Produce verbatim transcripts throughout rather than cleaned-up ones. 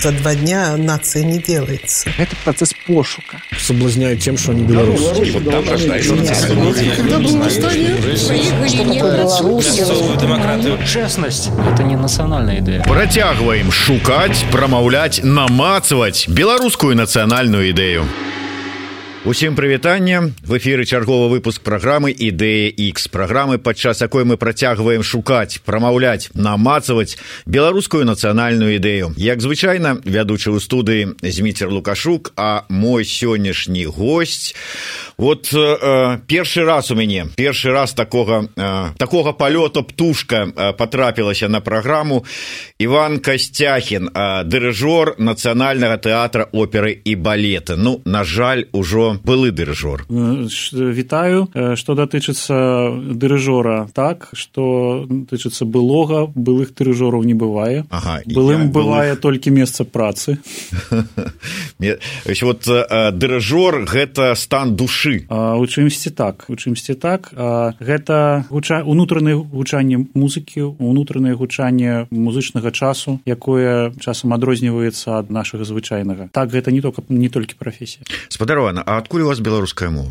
за два дня нация не делается. Это процесс пошука. Соблазняют тем, что они белорусы. Вот там рождаются демократию. Честность – это не национальная идея. Працягваем шукаць, прамаўляць, намацваць беларускую нацыянальную ідэю. Усім прывітанне. В эфіры чарговы выпуск праграмы «Ідэя Х». Праграмы, падчас якой мы працягваем шукаць, прамаўляць, намацваць беларускую нацыянальную ідэю. Як звычайна, вядучы ў студыі Зміцер Лукашук, а мой сённяшні госць. Вот э, першы раз у мяне, першы раз такога, э, такога палёта птушка э, патрапілася на праграму. Іван Касцяхін, э, дырыжор Нацыянальнага тэатра оперы і балета. Ну, на жаль, ужо былы дырыжор. Вітаю. Што датычыцца дырыжора, так, што датычыцца былога, былых дырыжораў не бывае. Ага, былым бывае былых... толькі месца працы. Вот дырыжор – гэта стан душы. У чымсьці так, у чымсьці так. Гэта унутранае гучанне музыкі, унутранае гучанне музычнага часу, якое часам адрозніваецца ад нашага звычайнага. Так, гэта не толькі, не толькі прафесія. Спадарова, а адкуль у вас беларуская мова?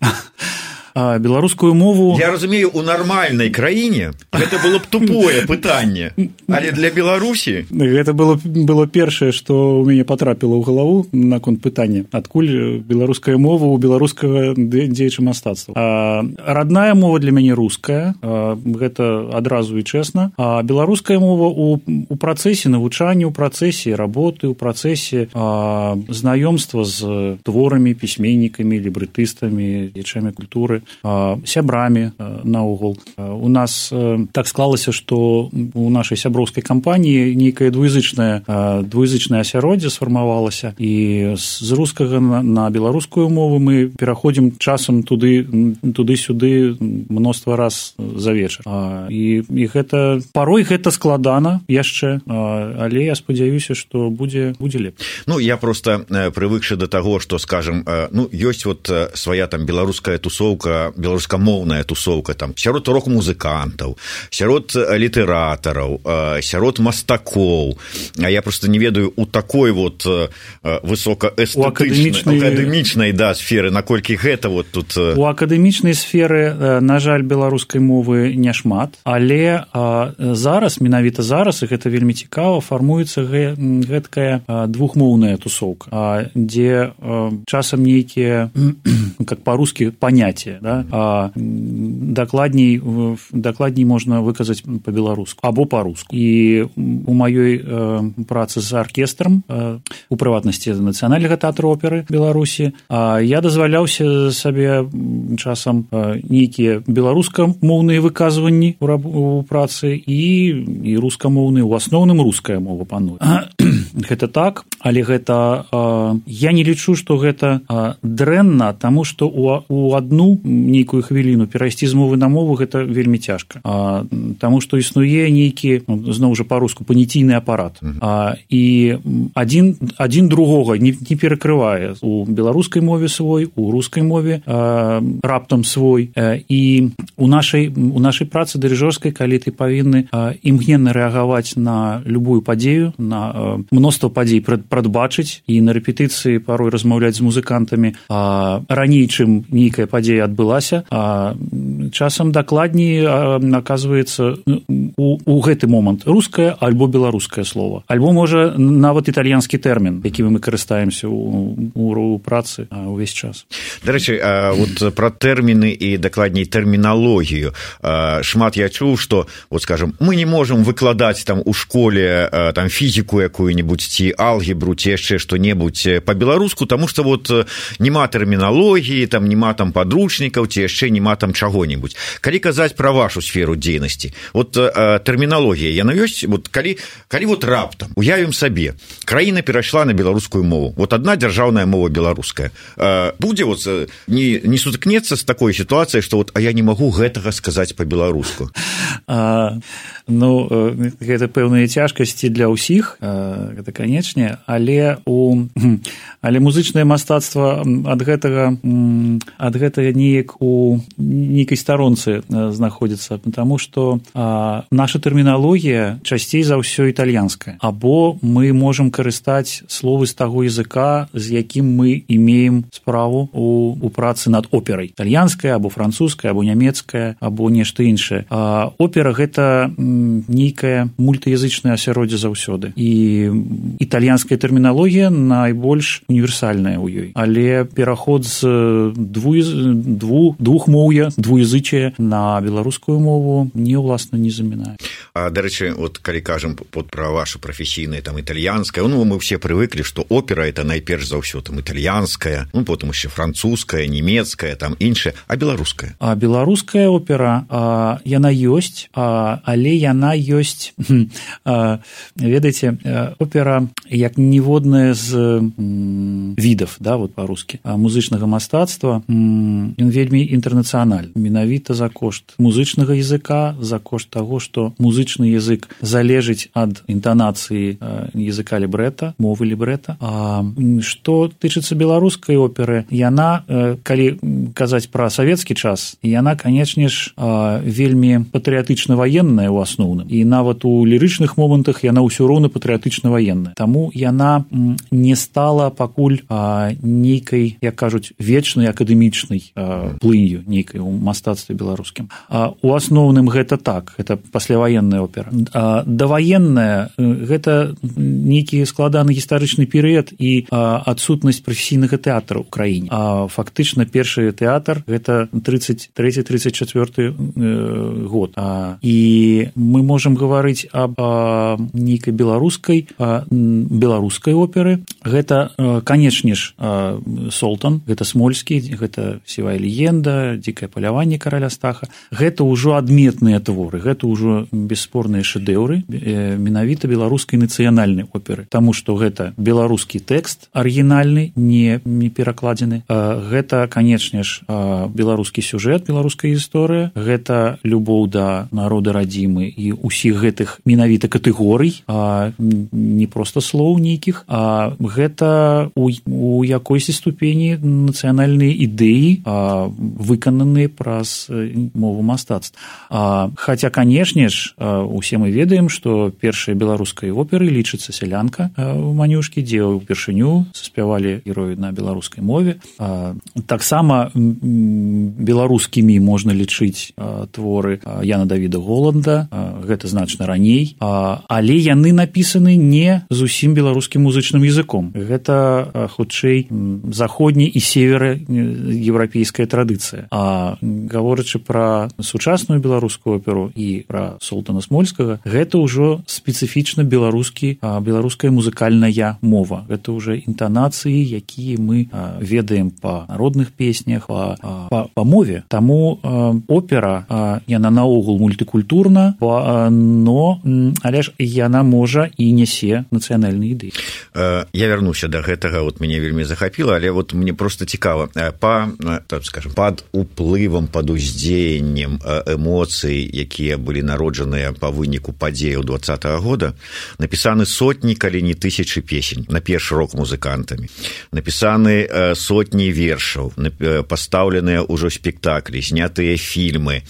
А, беларускую мову... Я разумею, у нармальнай краіне гэта было б тупое пытанне, але для Беларусі... Гэта было, было першае, што ў мяне патрапіла ў галаву наконт пытання. Адкуль беларуская мова ў беларускага дзеяча мастацтва. А, родная мова для мяне руская, а, гэта адразу і чэсна. А беларуская мова у, у працэсе навучання, у працэсе работы, у працэсе а, знаёмства з творамі, пісьменнікамі, лібрэтыстамі, дзеячамі культуры, сябрамі наогул. У нас так склалася, што у нашай сяброўскай кампаніі нейкае двуязычнае двуязычнае асяроддзе сфармавалася, і з рускага на беларускую мову мы пераходзім часам туды туды-сюды мноства раз за вечар. І, і гэта парой гэта складана яшчэ, але я спадзяюся, што будзе будзе лепш. Ну, я просто прывыкшы да таго, што, скажем, ну, ёсць вот свая там беларуская тусоўка, беларускамоўная тусоўка там сярод рок-музыкантаў, сярод літаратараў, сярод мастакоў. А я просто не ведаю у такой вот высокаэстэтычнай, акадэмічнай, да, сферы, наколькі гэта вот тут... У акадэмічнай сферы, на жаль, беларускай мовы няшмат, але зараз, менавіта зараз, і гэта вельмі цікава, фармуецца гэткая двухмоўная тусоўка, дзе часам нейкія, как па-рускі, паняцці, да? А дакладней, дакладней можна выказаць па-беларуску або па-руску. І у маёй э, працы з аркестрам, э, у прыватнасці Нацыянальнага тэатра оперы Беларусі, э, я дазваляўся сабе часам э, нейкія беларускамоўныя выказванні у, у працы і, і рускамоўныя, у асноўным руская мова пануе. Гэта так, але гэта э, я не лічу, што гэта э, дрэнна, таму што у, у адну нейкую хвіліну перайсці з мовы на мову гэта вельмі цяжка. А, таму што існуе нейкі, зноў жа па-руску, паніційны апарат. А, і адзін, адзін другога не, не перакрывае. У беларускай мове свой, у рускай мове а, раптам свой. А, і у нашай, у нашай працы дырыжорскай, калі ты павінны а, імгненна рэагаваць на любую падзею, на а, мноства падзей прадбачыць і на рэпетыцыі парой размаўляць з музыкантамі а, раней, чым нейкая падзея адбылася, а часам дакладней аказваецца у, у гэты момант рускае альбо беларускае слово, альбо можа нават італьянскі тэрмін, якім мы карыстаемся у, у, у працы увесь час. Дарэчы, вот пра тэрміны і дакладней тэрміналогію шмат я чуў, што вот скажем, мы не можам выкладаць там у школе там фізіку якую-небудзь ці алгебру ці яшчэ што-небудзь па-беларуску, таму што вот нема тэрміналогіі, там нема там падручнікаў ці яшчэ нема там чаго-небудзь. Калі казаць пра вашу сферу дзейнасці, вот э, тэрміналогія яна ёсць, вот калі, калі вот раптам уявім сабе, краіна перайшла на беларускую мову, вот адна дзяржаўная мова беларуская, э, будзе вот не, не сутыкнецца з такой сітуацыяй, што вот а я не магу гэтага сказаць па-беларуску. А, ну, гэта пэўныя цяжкасці для ўсіх, гэта канечне, але у але музычнае мастацтва ад гэтага ад гэтага неяк у нейкай старонцы знаходзіцца, потому что а, наша тэрміналогія часцей за ўсё італьянская, або мы можам карыстаць словы з таго языка, з якім мы имеем справу у, у працы над операй. Італьянская, або французская, або нямецкая, або нешта іншае. А опера – гэта нейкая мультыязычная асяроддзе заўсёды. І італьянская тэрміналогія найбольш універсальная ў ёй. Але пераход з дву, дву, двухмоўя, двуязычия на беларускую мову не, уласна, не замінае. А, дарэчы, вот калі кажам вот пра вашу прафесійнае там італьянская, ну мы все прывыклі, што опера это найперш за ўсё там італьянская, ну потым яшчэ французская, нямецкая, там іншая, а беларуская. А беларуская опера, а, яна ёсць, а, але яна ёсць, а, ведаеце, опера як ніводная з м, відаў, да, вот па-рускі, музычнага мастацтва, м, ён вельмі інтэрнацыянальны, менавіта за кошт музычнага языка, за кошт таго, што музычны язык залежыць ад інтанацыі языка лібрэта, мовы лібрэта. А што тычыцца беларускай оперы, яна, калі казаць пра савецкі час, яна, канечне ж, вельмі патрыятычна-ваенная ў асноўным. І нават у лірычных момантах яна ўсё роўна патрыятычна-ваенная. Таму яна не стала пакуль нейкай, як кажуць, вечнай акадэмічнай плынью нейкай у мастацтве беларускім. У асноўным гэта так, гэта пасляваенная опера. Даваенная гэта нейкі складаны гістарычны перыяд і адсутнасць прафесійнага тэатра ў краіне. А фактычна першы тэатр гэта тридцать третий тридцать четвёрты год. І мы можам гаварыць аб нейкай беларускай беларускай оперы. Гэта, канечне ж, Солтан, гэта Смольскі, гэта Сівая легенда, Дзікае паляванне караля Стаха. Гэта ўжо адметныя творы, гэта ўжо бесспорныя шэдэўры менавіта беларускай нацыянальнай оперы, таму што гэта беларускі тэкст арыгінальны, не, не перакладзены. Гэта, канечне ж, беларускі сюжэт, беларуская гісторыя, гэта любоў да народа радзімы і ўсіх гэтых менавіта катэгорый, а не проста слоў нейкіх, а гэта у, у якойсьці ступені нацыянальныя ідэі, а, выкананыя праз мову мастацтва. А, хаця, канешне ж, усе мы ведаем, што першая беларускай оперы лічыцца «Сялянка» ў Манюшкі, дзе ўпершыню заспявалі героі на беларускай мове. А, таксама беларускімі можна лічыць а, творы Яна Давіда Голланда, а, гэта значна раней, а, але яны напісаны не зусім беларускім музычным языком. Гэта, а, хутчэй, заходняя і севераеўрапейская традыцыя. А гаворачы пра сучасную беларускую оперу і пра Солтана Смольскага, гэта ўжо спецыфічна беларускі, а, беларуская музыкальная мова. Гэта ўжо інтанацыі, якія мы а, ведаем па народных песнях, па, па, па мове. Таму а, опера, а, яна наогул мультыкультурна, а, но, але ж яна можа і нясе нацыянальныя ідэі. Я вярнуся да гэтага, вот мяне вельмі захапіла, але вот мне просто цікава, па, так скажем, пад уплывам, пад уздзеяннем эмоцый, якія былі народжаныя па выніку падзеяў двадцатага года, напісаны сотні, калі не тысячы песень, на першы рок музыкантамі, напісаны сотні вершаў, пастаўленыя ўжо спектаклі, знятыя фільмы,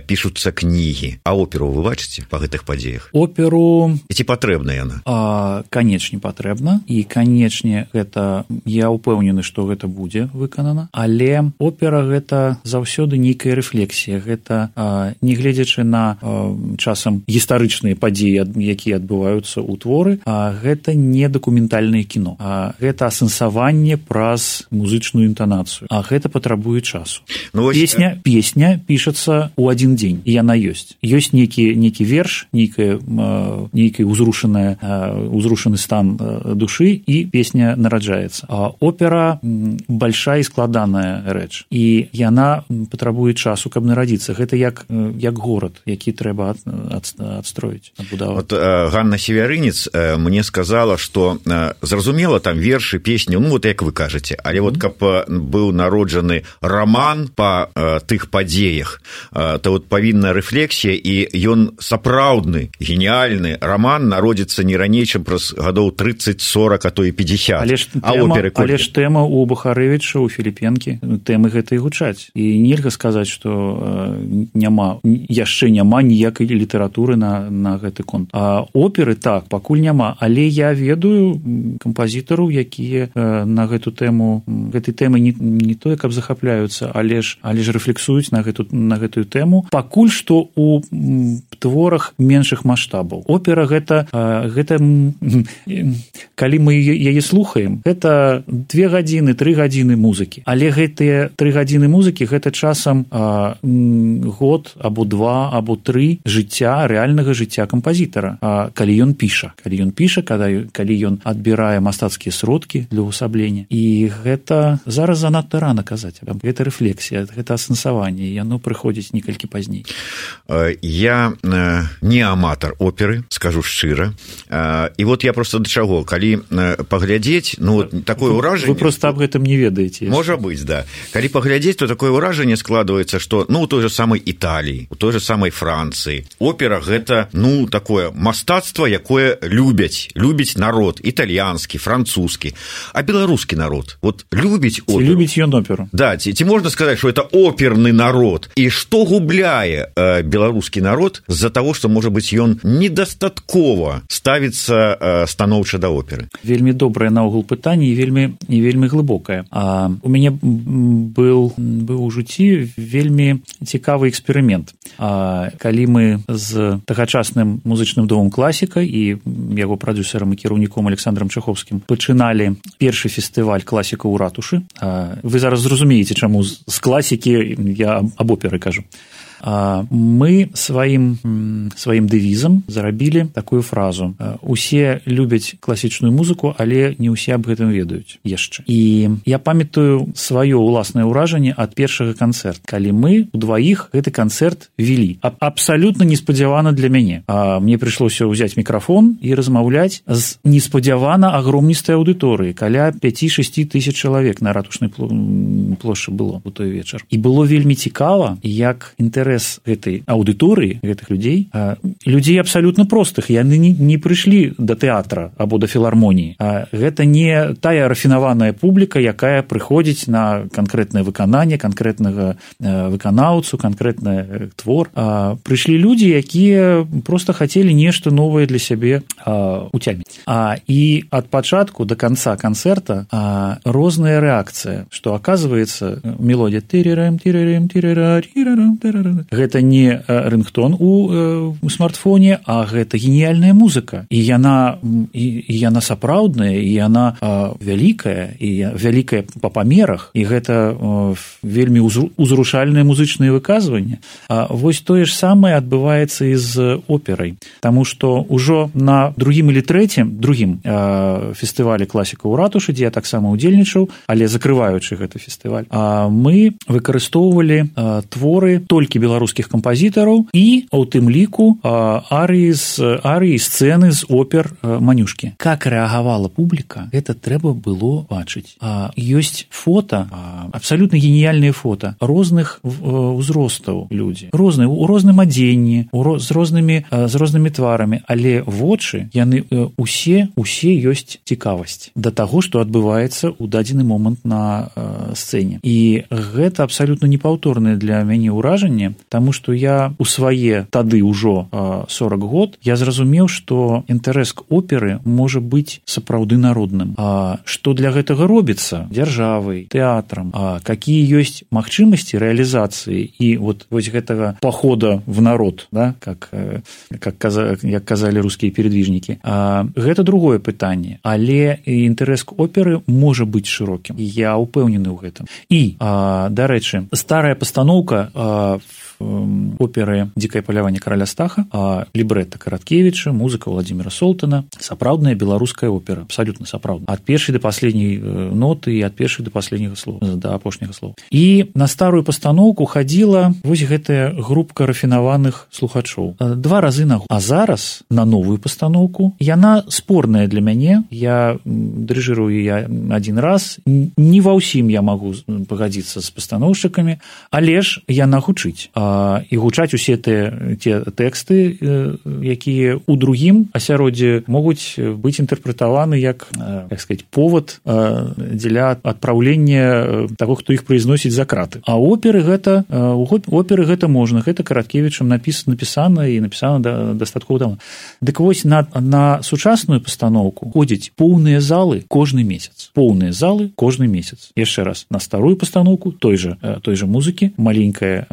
пішуцца кнігі. А оперу вы бачыце па гэтых падзеях? Оперу... Ці патрэбна яна? А, канечне патрэбна, і канечне гэта, я ўпэўнены, што гэта будзе выканана, але опера гэта заўсёды нейкая рэфлексія, гэта а, не гледзячы на а, часам гістарычныя падзеі, якія адбываюцца ў творы, а гэта не дакументальнае кіно, а гэта асэнсаванне праз музычную інтанацыю, а гэта патрабуе часу. Ну, вось... Песня, песня пішацца ў адзін дзень, і яна ёсць. Ёсць нейкі, нейкі верш, нейкая, нейкая узрушаная, узрушаны стан душы, і песня нараджаецца. А опера большая і складаная рэч, і яна патрабуе часу, каб нарадзіцца. Гэта як, як горад, які трэба ад, ад, адстроіць, адбудаваць. Вот Ганна Севярынец мне сказала, што зразумела там вершы, песні, ну вот як вы кажаце, але вот каб быў народжаны роман па тых падзеях, то вот павінна рэфлексія, і ён сапраўдны, геніальны роман народзіцца не раней, чым праз гадоў тридцать сорок, а то і пятьдесят. Але ж а оперы колькі? Але ж тэма у Бухарэвіча, у Філіпенкі, тэмы гэтай гучаць. І нельга сказаць, што няма, яшчэ няма ніякай літаратуры на, на гэты конт. А оперы, так, пакуль няма, але я ведаю кампазітараў, якія на гэту тэму, гэтай тэмы не, не тое, каб захапляюцца, але ж, але ж рэфлексуюць на, гэту, на гэтую тэму. Пакуль што у творах меншых маштабаў. Опера гэта, гэта калі мы яе слухаем, гэта две гадзіны, тры гадзіны музыкі. Але гэтыя тры гадзіны музыкі гэта часам а, год або два або тры жыцця, рэальнага жыцця кампазітара. А, калі ён піша, калі ён піша, калі, калі ён адбірае мастацкія сродкі для ўвасаблення. І гэта зараз занадта рана казаць. Гэта рэфлексія, гэта асэнсаванне, і яно прыходзіць некалькі пазней. Я не аматар оперы, скажу шчыра. І вот я просто да чаго, калі паглядзець, ну, такое ўражанне... Вы просто аб гэтым не ведаеце. Можа быць, да. Калі паглядзець, то такое ўражанне складваецца, што, ну, у той же самай Італіі, у той же самай Францыі, опера гэта, ну, такое мастацтва, якое любяць, любіць народ, італьянскі, французскі, а беларускі народ, вот любіць оперу. Ці любіць ён оперу. Да, ці, ці можна сказаць, што это оперны народ. І што губляе э, беларускі народ з-за таго, што, можа быць, ён недастаткова ставіцца э, станоўча да оперы? Вельмі добрае наогул пытанне і вельмі, і вельмі глыбокае. А, у мяне был, быў у жыцці вельмі цікавы эксперымент. А, калі мы з тагачасным музычным домом «Класіка» і яго прадюсерам і кіраўніком Александром Чаховскім пачыналі першы фестываль «Класіка» ў ратушы. А, вы зараз зразумееце, чаму з класікі я аб оперы кажу. Мы сваім, сваім дэвізам зарабілі такую фразу. Усе любяць класічную музыку, але не ўсе аб гэтым ведаюць яшчэ. І я памятаю сваё ўласнае ўражанне ад першага канцэрта, калі мы удваіх гэты канцэрт вялі. Абсалютна неспадзявана для мяне. Мне прыйшлося ўзяць мікрафон і размаўляць з неспадзявана агромністай аўдыторыі, каля пяць-шэсць тысяч чалавек на ратушнай плошчы было ў той вечар. І было вельмі цікава, як інтэрес гэтай аўдыторыі, гэтых людзей, людзей абсалютна простых, яны не, не прыйшлі да тэатра або да філармоніі. Гэта не тая рафінаваная публіка, якая прыходзіць на канкрэтнае выкананне, канкрэтнага выканаўцу, канкрэтны твор. Прыйшлі людзі, якія проста хацелі нешта новае для сябе уцяміць. І ад пачатку да канца канцэрта розная рэакцыя, што аказваецца мелодія тырырам, тырырам, тырырам, тырырам, тырырам. Гэта не рынгтон у э, смартфоне, а гэта геніяльная музыка. І яна, і, і яна сапраўдная, і яна э, вялікая, і вялікая па памерах, і гэта э, вельмі узрушальнае музычнае выказванне. А вось тое ж самае адбываецца і з операй. Таму што ўжо на другім или трэцім, другім э, фестывалі «Класіка» ў ратушы, дзе я таксама удзельнічаў, але закрываючы гэты фестываль, а мы выкарыстоўвалі э, творы толькі беларускіх кампазітараў і, у тым ліку, арыі з арыі сцэны з опер Манюшкі. Как рэагавала публіка, гэта трэба было бачыць. Ёсць фота, абсалютна геніяльныя фота розных узростаў людзі, розныя, у розным адзенні, з рознымі, з рознымі тварамі, але вочы, яны усе, усе ёсць цікавасць да таго, што адбываецца ў дадзены момант на сцэне. І гэта абсалютна непаўторнае для мяне ўражанне, таму што я у свае тады ўжо сорок год я зразумеў, што інтарэс к оперы можа быць сапраўды народным. А што для гэтага робіцца дзяржавай, тэатрам, а какие ёсць магчымасці рэалізацыі і вот вось гэтага пахода в народ, да, как, как каза, як казалі рускія передвижнікі. А гэта другое пытанне, але інтарэс к оперы можа быць шырокім. Я ўпэўнены ў гэтым. І, а, дарэчы, старая пастаноўка а, оперы «Дикое поляванне караля Стаха», а лібрэта Караткевіча, музыка Владимира Солтана, сапраўдная беларуская опера, абсолютно сапраўдная. Ад першай да паследняй ноты і ад першай да паследняга слова, да апошняга слова. І на старую пастаноўку хадзіла вось гэтая групка рафінаваных слухачоў. Два разы на год. А зараз на новую пастаноўку яна спорная для мяне. Я дырыжырую я адзін раз. Не ва ўсім я магу пагадзіцца з пастаноўшчыкамі, але ж яна гучыць. і гучаць усе те, те тэксты, якія ў другім асяроддзі могуць быць інтэрпрэтаваны як, як сказаць, повод дзеля адпраўлення таго, хто іх прызносіць за краты. А оперы гэта, оперы гэта можна, гэта Караткевічам напісана, напісана і напісана да, дастаткова давно. Дык вось на, на сучасную пастаноўку ходзяць поўныя залы кожны месяц. Поўныя залы кожны месяц. Яшчэ раз, на старую пастаноўку той же, той же музыкі, маленькая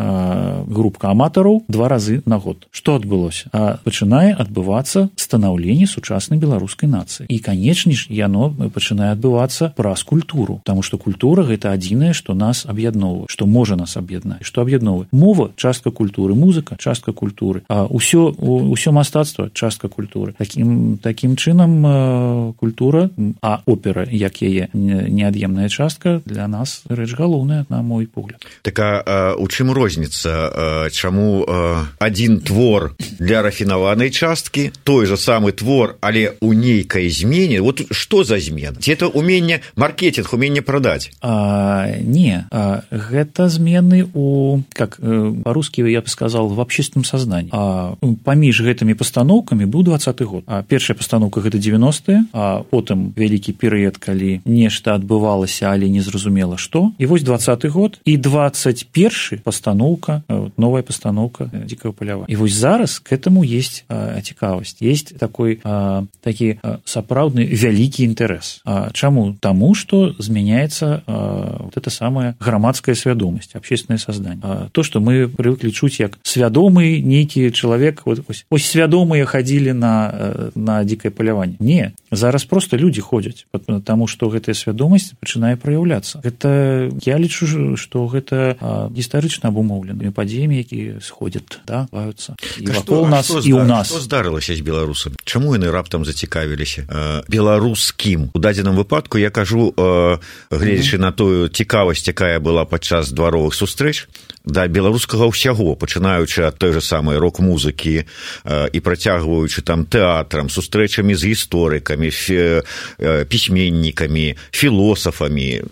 групка аматараў два разы на год. Што адбылося? А пачынае адбывацца станаўленне сучаснай беларускай нацыі. І, канечне ж, яно пачынае адбывацца праз культуру, таму што культура – гэта адзінае, што нас аб'ядноўвае, што можа нас аб'яднаць, што аб'ядноўвае. Мова – частка культуры, музыка – частка культуры, а ўсё, ўсё мастацтва – частка культуры. Такім, такім чынам культура, а опера, як яе неад'емная частка, для нас рэч галоўная, на мой погляд. Так а у чым розніца? Чаму адзін твор для рафінаванай часткі, той же самы твор, але ў нейкай змене? Вот што за змена? Ці это уменне маркетинг, уменне прадаць? А, не, а, гэта змены у, как по-русски я бы сказал, в общественном сознании. А паміж гэтымі пастаноўкамі быў двадцаты год. А першая пастаноўка гэта девяностыя, а потым вялікі перыяд, калі нешта адбывалася, але не зразумела што. І вось двадцаты год і двадцать першы пастаноўка, новая пастаноўка «Дзікага палява». І вось зараз к этому есть а, цікавасць, есть такой а, такі а, сапраўдны вялікі інтарэс. А, чаму? Таму, што змяняецца а, вот эта самая грамадская свядомасць, общественное сознание. А, то, што мы прывыклі чуць як свядомы нейкі чалавек, вот, ось, ось свядомыя хадзілі на, на дзікае паляванне. Не, зараз просто людзі ходзяць, таму што гэтая свядомасць пачынае праяўляцца. Гэта, я лічу, што гэта а, гістарычна абумоўленыя падзеямі, якія сходят, да, баюцца і вакол нас, і ў нас. Што здарылася з беларусамі? Чаму яны раптам зацікавіліся э, беларускім? У дадзеным выпадку я кажу, э, гледзячы mm-hmm. на тую цікавасць, якая была падчас дваровых сустрэч, да беларускага ўсяго, пачынаючы ад той же самай рок-музыкі э, і працягваючы там тэатрам, сустрэчамі з гісторыкамі, фі, э, пісьменнікамі, філосафамі.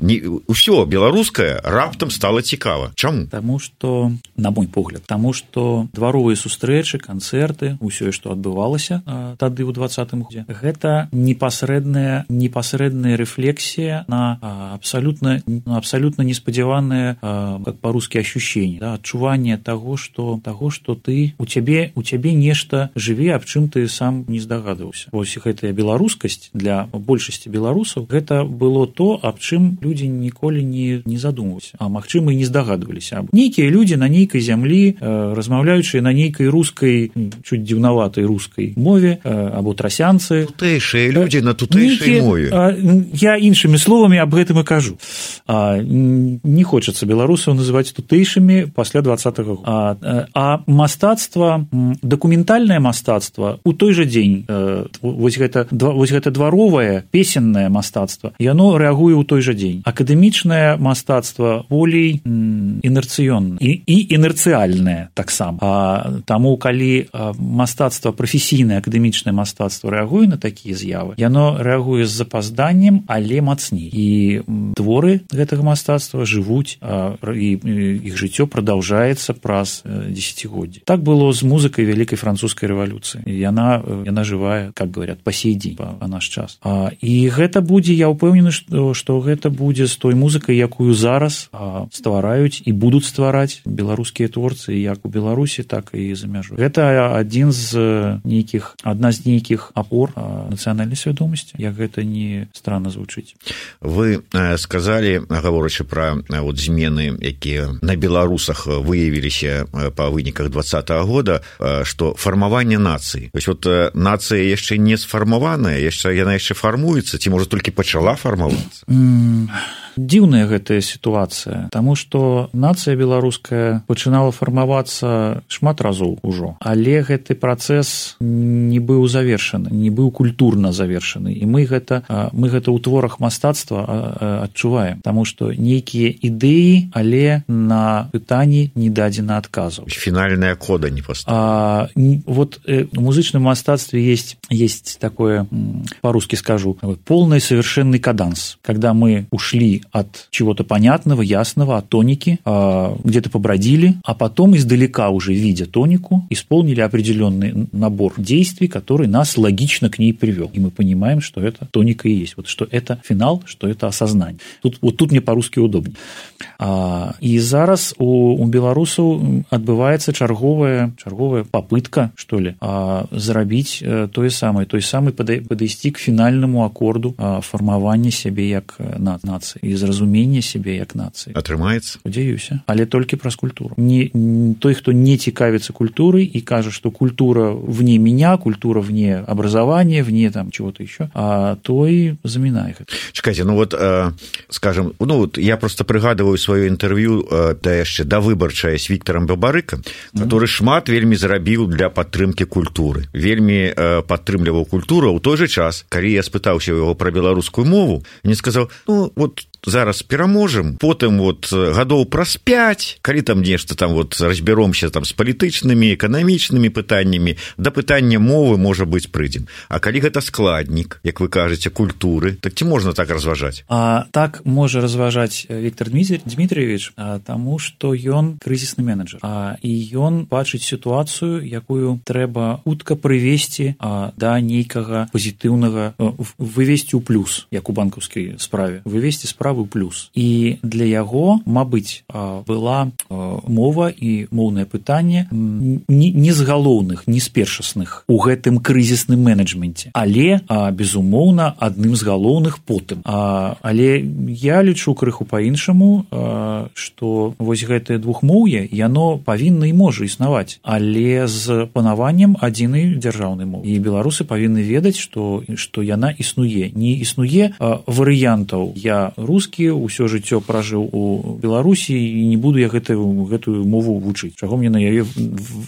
Усё беларускае раптам стала цікава. Чаму? Таму што, на мой погляд, таму што дваровыя сустрэчы, канцэрты, усё, што адбывалася э, тады ў двадцатым годзе, гэта непасрэдная, непасрэдная рэфлексія на э, абсалютна, на абсалютна неспадзяванае, э, как па-рускі, ощущение, да, адчуванне таго, што таго, што ты у цябе у цябе нешта жыве, аб чым ты сам не здагадваўся. Вось гэтая беларускасць для большасці беларусаў гэта было то, аб чым людзі ніколі не, не задумваліся, а магчыма і не здагадваліся. Нейкія людзі на нейкай зямлі, э, размаўляючыя на нейкай рускай, чуць дзіўнаватай рускай мове, э, або трасянцы. Тутэйшыя людзі на тутэйшай мове. А, я іншымі словамі аб гэтым і кажу. А, не хочацца беларусаў называць тутэйшымі пасля двадцатага года. А, а мастацтва, дакументальнае мастацтва у той жа дзень, э, вось, гэта, вось гэта дваровае, песеннае мастацтва, яно рэагуе ў той жа дзень. Акадэмічнае мастацтва болей інерцыённае і, і інерцыяльнае таксама. А, таму, калі мастацтва, прафесійнае акадэмічнае мастацтва рэагуе на такія з'явы, яно рэагуе з запазданнем, але мацней. І творы гэтага мастацтва жывуць, а, і, і іх жыццё продолжается праз десятигоддзі. Так было з музыкай вялікай французскай рэвалюцыі. Яна, яна жывая, как говорят, по сей дзень, па, па наш час. А, і гэта будзе, я ўпэўнены, што, што гэта будзе з той музыкай, якую зараз а, ствараюць і будуць ствараць беларускія творцы, як у Беларусі, так і за мяжой. Гэта адзін з нейкіх, адна з нейкіх апор а, нацыянальнай свядомасці, як гэта не странно звучыць. Вы э, сказалі, гаворачы пра э, вот, змены, якія на Беларусі выявіліся па выніках двадцатага года, што фармаванне нацыі. Вось вот нацыя яшчэ не сфармаваная, яшчэ яна яшчэ фармуецца, ці можа толькі пачала фармавацца? Mm. Дзіўная гэтая сітуацыя, таму што нацыя беларуская пачынала фармавацца шмат разоў ужо, але гэты працэс не быў завершаны, не быў культурна завершаны, і мы гэта, мы гэта ў творах мастацтва адчуваем, таму што нейкія ідэі, але на пытанні не дадзена адказу. Фінальная кода не поставлена. Вот э, в музычным мастацтве есть, есть такое, по-русски скажу, полный совершенный каданс, когда мы ушли отошли от чего-то понятного, ясного, от тоники, где-то побродили, а потом издалека уже, видя тонику, исполнили определенный набор действий, который нас логично к ней привел. И мы понимаем, что это тоника и есть. Вот что это финал, что это осознание. Тут, вот тут мне по-русски удобнее. И зараз у, у беларусаў адбываецца чарговая, чарговая попытка, что ли, зрабіць тое самае, той самы падысці к фінальнаму акорду фармавання сябе як нацыі і зразумення сябе як нацыі. Атрымаецца? Спадзяюся, але толькі праз культуру. Не, той, хто не цікавіцца культурой и кажа, что культура вне меня, культура вне образования, вне там чего-то еще, а той замінае гэта. Чакайце, ну вот, э, скажем, ну вот я просто прыгадываю сваё інтэрв'ю э, да яшчэ да выбарчае з Віктарам Бабарыкам, который mm-hmm. шмат вельмі зрабіў для падтрымкі культуры. Вельмі э, падтрымліваў культуру, ў той жа час, калі я спытаўся яго пра беларускую мову, мне сказаў, ну вот зараз пераможам, потым вот гадоў праз пяць, калі там нешта там вот разбяромся там з палітычнымі, эканамічнымі пытаннямі, да пытання мовы, можа быць, прыйдзем. А калі гэта складнік, як вы кажаце, культуры, так ці можна так разважаць? А так можа разважаць Віктор Дмітриевич, таму што ён крызісны менеджер, а і ён бачыць сітуацыю, якую трэба хутка прывесці да нейкага пазітыўнага, вывесці ў плюс, як у банкаўскай справе, вывесці справу ў плюс. І для яго, мабыць, была мова і моўнае пытанне не з галоўных, не з першасных у гэтым крызісным менеджменце, але, безумоўна, адным з галоўных потым. Але я лічу крыху па-іншаму, што вось гэтае двухмоўе, яно павінна і можа існаваць, але з панаваннем адзінай дзяржаўнай мовы. І беларусы павінны ведаць, што, што яна існуе. Не існуе варыянтаў «я рускі, ўсё жыццё пражыў у Беларусі і не буду я гэтую, гэтую мову вучыць, чаго мне на яе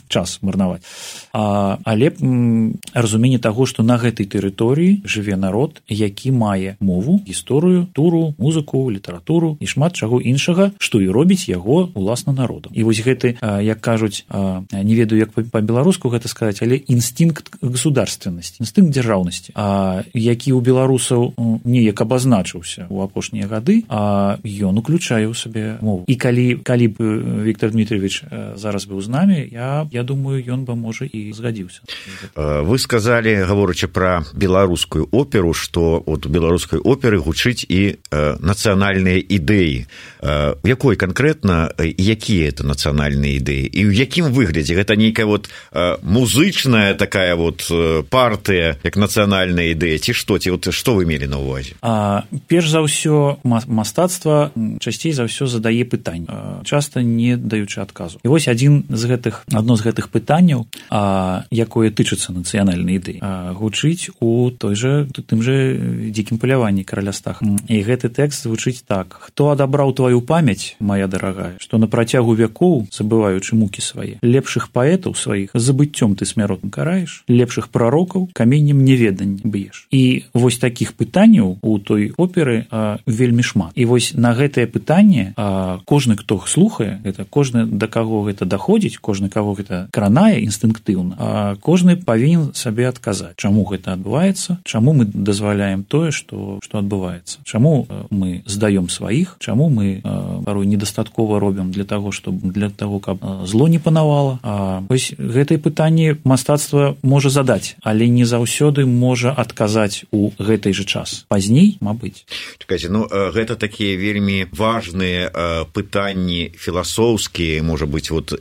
час марнаваць». А, але м, разуменне таго, што на гэтай тэрыторыі жыве народ, які мае мову, гісторыю, туру, музыку, літаратуру і шмат чаго іншага, што і робіць яго уласна народам. І вось гэты, як кажуць, не ведаю, як па-беларуску гэта сказаць, але інстынкт государственнасці, інстынкт дзяржаўнасці, які ў беларусаў неяк абазначыўся ў апошнія гады, а ён уключае ў сабе мову. І калі, калі б Віктор Дмітриевич зараз быў з намі, я, я думаю, ён бы, можа, і згадзіўся. Вы сказалі, гаворачы пра беларускую оперу, што от у беларускай оперы гучыць і э, нацыянальныя ідэі. Э, якой канкрэтна, якія это нацыянальныя ідэі? І ў якім выглядзе? Гэта нейкая вот э, музычная такая вот партыя, як нацыянальная ідэя, ці што? Ці вот што вы мелі на ўвазе? А, перш за ўсё, мастацтва часцей за ўсё задае пытанні, часта не даючы адказу. І вось адзін з гэтых, адно з гэтых пытанняў, а, якое тычыцца нацыянальнай ідэі, а, гучыць у той жа, тым жа дзікім паляванні караля Стаха. І гэты тэкст звучыць так: «Хто адабраў тваю памяць, моя дарагая, што на працягу вякоў, забываючы мукі свае, лепшых паэтаў сваіх забыццём ты смяротным караеш, лепшых прарокаў каменнем неведання б'еш». І вось такіх пытанняў у той оперы а, вельмі шмат. І вось на гэтае пытанне а, кожны, хто слухае, гэта кожны, да каго гэта даходзіць, кожны, каго гэта кранае інстынктыўна, а кожны павінен сабе адказаць, чаму гэта адбываецца, чаму мы дазваляем тое, што, што адбываецца, чаму мы здаём сваіх, чаму мы а, парой недастаткова робім для таго, што, для таго, каб зло не панавала. А, вось гэтае пытанне мастацтва можа задаць, але не заўсёды можа адказаць у гэтай жа час. Пазней, мабыць. Чакайце, ну гэта такія вельмі важныя пытанні філасофскія, можа быць, вот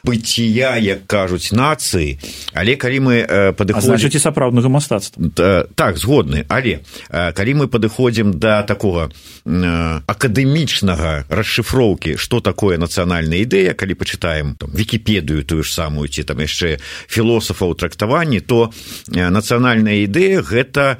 быцця, як кажуць, нацыі, але калі мы падыходзім... А значыць, і сапраўднага мастацтва. Так, згодны, але калі мы падыходзім да такога акадэмічнага расшыфроўкі, што такое нацыянальная ідэя, калі пачытаем там Вікіпедыю тую ж самую, ці там яшчэ філосафаў трактаванні, то нацыянальная ідэя гэта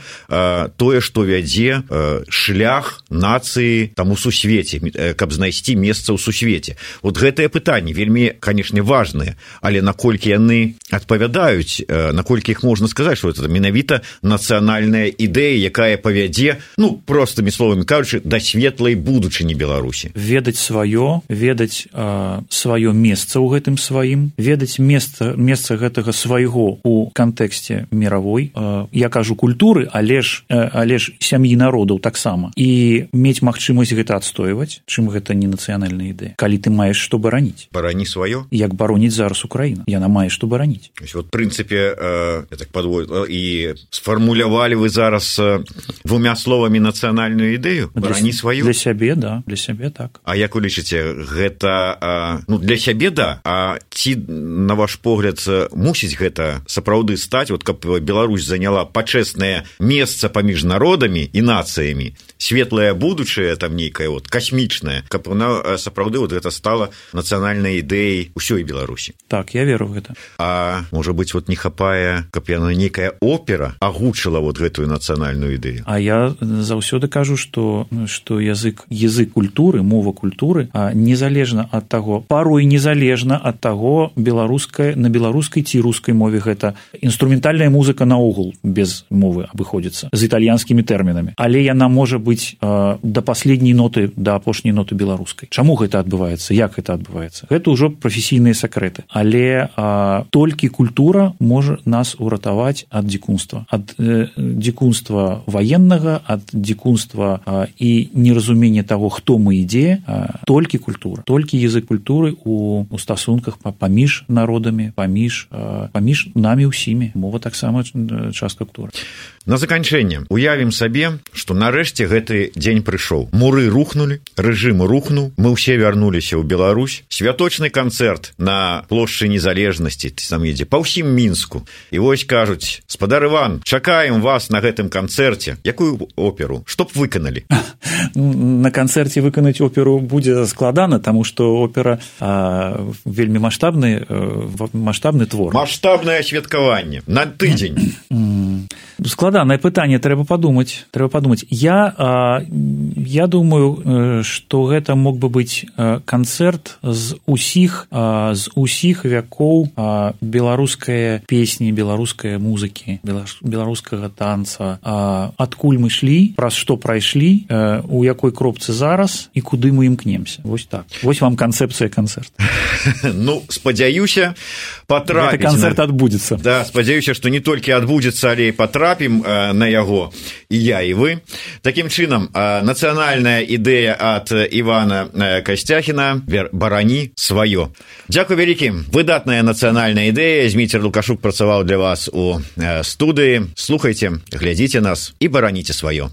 тое, што вядзе шлях нацыі там у сусвеце, каб знайсці месца ў сусвеце. Вот гэтае пытанне вельмі, канешне, важнае, але наколькі яны адпавядаюць, наколькі іх можна сказаць, што это менавіта нацыянальная ідэя, якая павядзе, ну, простымі словамі кажучы, да светлай будучыні Беларусі. Ведаць сваё, ведаць э, сваё месца ў гэтым сваім, ведаць месца, месца гэтага свайго ў кантэксце міравой, э, я кажу культуры, але ж, э, але ж сям'і народаў таксама. І мець магчымасць гэта адстойваць, чым гэта не нацыянальная ідэя. Калі ты маеш што бараніць. Барані сваё. Як бароніць зараз Украіна. Яна мае што бараніць. Вот, в прынцыпе, э, я так падвою, і сфармулявалі вы зараз э, двумя словамі нацыянальную ідэю? Барані сваю? Для сябе, да, для сябе так. А як вы лічыце, гэта, э, ну, для сябе, да, а ці, на ваш погляд, мусіць гэта сапраўды стаць, вот, каб Беларусь заняла пачэснае месца паміж народамі і нацыямі, светлае будучае, там нейкае вот, касмічнае, каб она сапраўды вот, гэта стала нацыянальнай ідэяй усёй Беларусі. Так, я веру в гэта. А можа быць, вот, не хапае, каб яна нейкая опера агучыла вот гэтую нацыянальную ідэю? А я заўсёды кажу, што, што язык, язык культуры, мова культуры, незалежна ад таго, парой незалежна ад таго, беларуская, на беларускай ці рускай мове гэта інструментальная музыка наогул без мовы абыходзіцца, з італьянскімі тэрмінамі. Але яна можа быць э, да паследняй ноты, да апошняй ноты беларускай. Чаму гэта адбываецца? Як гэта адбываецца? Гэта ўжо прафесійныя сакрэты. Але э, толькі культура можа нас уратаваць ад дзікунства. Ад э, дзікунства ваеннага, ад дзікунства э, і неразумення таго, хто мы ідзе, э, толькі культура. Толькі язык культуры у, у стасунках паміж народамі, паміж, э, паміж намі ўсімі. Мова таксама частка культуры. На заканчэнне уявім сабе, што нарэшце гэты дзень прыйшоў. Муры рухнулі, рэжым рухнуў, мы ўсе вярнуліся ў Беларусь. Святочны канцэрт на плошчы Незалежнасці, там едзе, па ўсім Мінску. І вось кажуць: спадар Іван, чакаем вас на гэтым канцэрце. Якую оперу? Што б выканалі? На канцэрце выканаць оперу будзе складана, таму што опера а, вельмі маштабны, маштабны твор. Маштабнае святкаванне на тыдзень. Складанае пытанне, трэба падумаць, трэба падумаць. Я, а, я думаю, што гэта мог бы быць канцэрт з усіх, а, з усіх вякоў а, беларускай песні, беларускай музыкі, беларускага танца. А, адкуль мы шлі, праз што прайшлі, а, у якой кропцы зараз і куды мы імкнемся. Вось так. Вось вам канцэпцыя канцэрта. Ну, спадзяюся, патрапіць. Гэты канцэрт адбудзецца. Да, спадзяюся, што не толькі адбудзецца, але і патрапім на яго і я, і вы. Такім чынам, нацыянальная ідэя ад Івана Касцяхіна «Барані сваё». Дзякуй вялікім. Выдатная нацыянальная ідэя. Зміцер Лукашук працаваў для вас у студыі. Слухайце, глядзіце нас і бараніце сваё.